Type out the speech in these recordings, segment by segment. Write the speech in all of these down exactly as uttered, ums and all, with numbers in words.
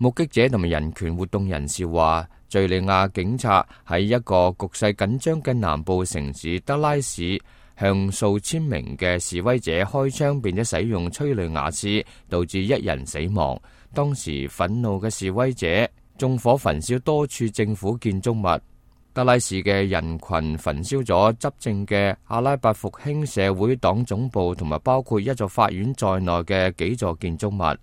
目擊者同埋人權活動人士話，敘利亞警察喺一個局勢緊張嘅南部城市德拉市，向數千名嘅示威者開槍，並且使用催淚瓦斯，導致一人死亡。當時憤怒嘅示威者縱火焚燒多處政府建築物。德拉市嘅人群焚燒咗執政嘅阿拉伯復興社會黨總部，同埋包括一座法院在內嘅幾座建築物。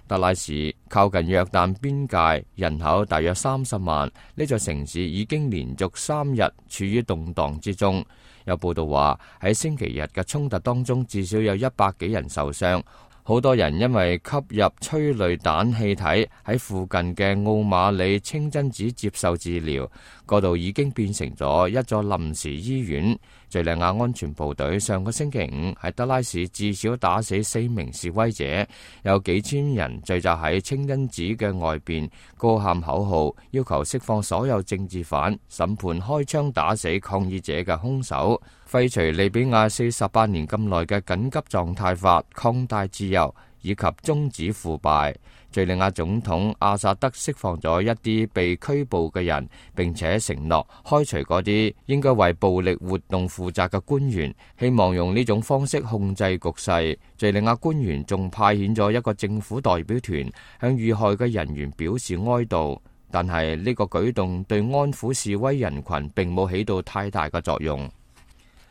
德拉市靠近約旦邊界，人口大約三十萬。呢座城市已經連續三日處於動盪之中。有報道話，喺星期日嘅衝突當中，至少有一百幾人受傷。好多人因為吸入催淚彈氣體，喺附近嘅奧馬里清真寺接受治療，嗰度已經變成咗一座臨時醫院。敘利亞安全部隊上個星期五喺德拉市至少打死四名示威者，有幾千人聚集喺清真寺嘅外邊，高喊口號，要求釋放所有政治犯，審判開槍打死抗議者嘅兇手，廢除利比亞四十八年咁耐嘅緊急狀態法，擴大自由，以及終止腐敗。敘利亞總統阿薩德釋放咗一啲被拘捕嘅人，並且承諾開除嗰啲應該為暴力活動負責嘅官員，希望用呢種方式控制局勢。敘利亞官員仲派遣咗一個政府代表團向遇害嘅人員表示哀悼，但係呢個舉動對安撫示威人群並冇起到太大嘅作用。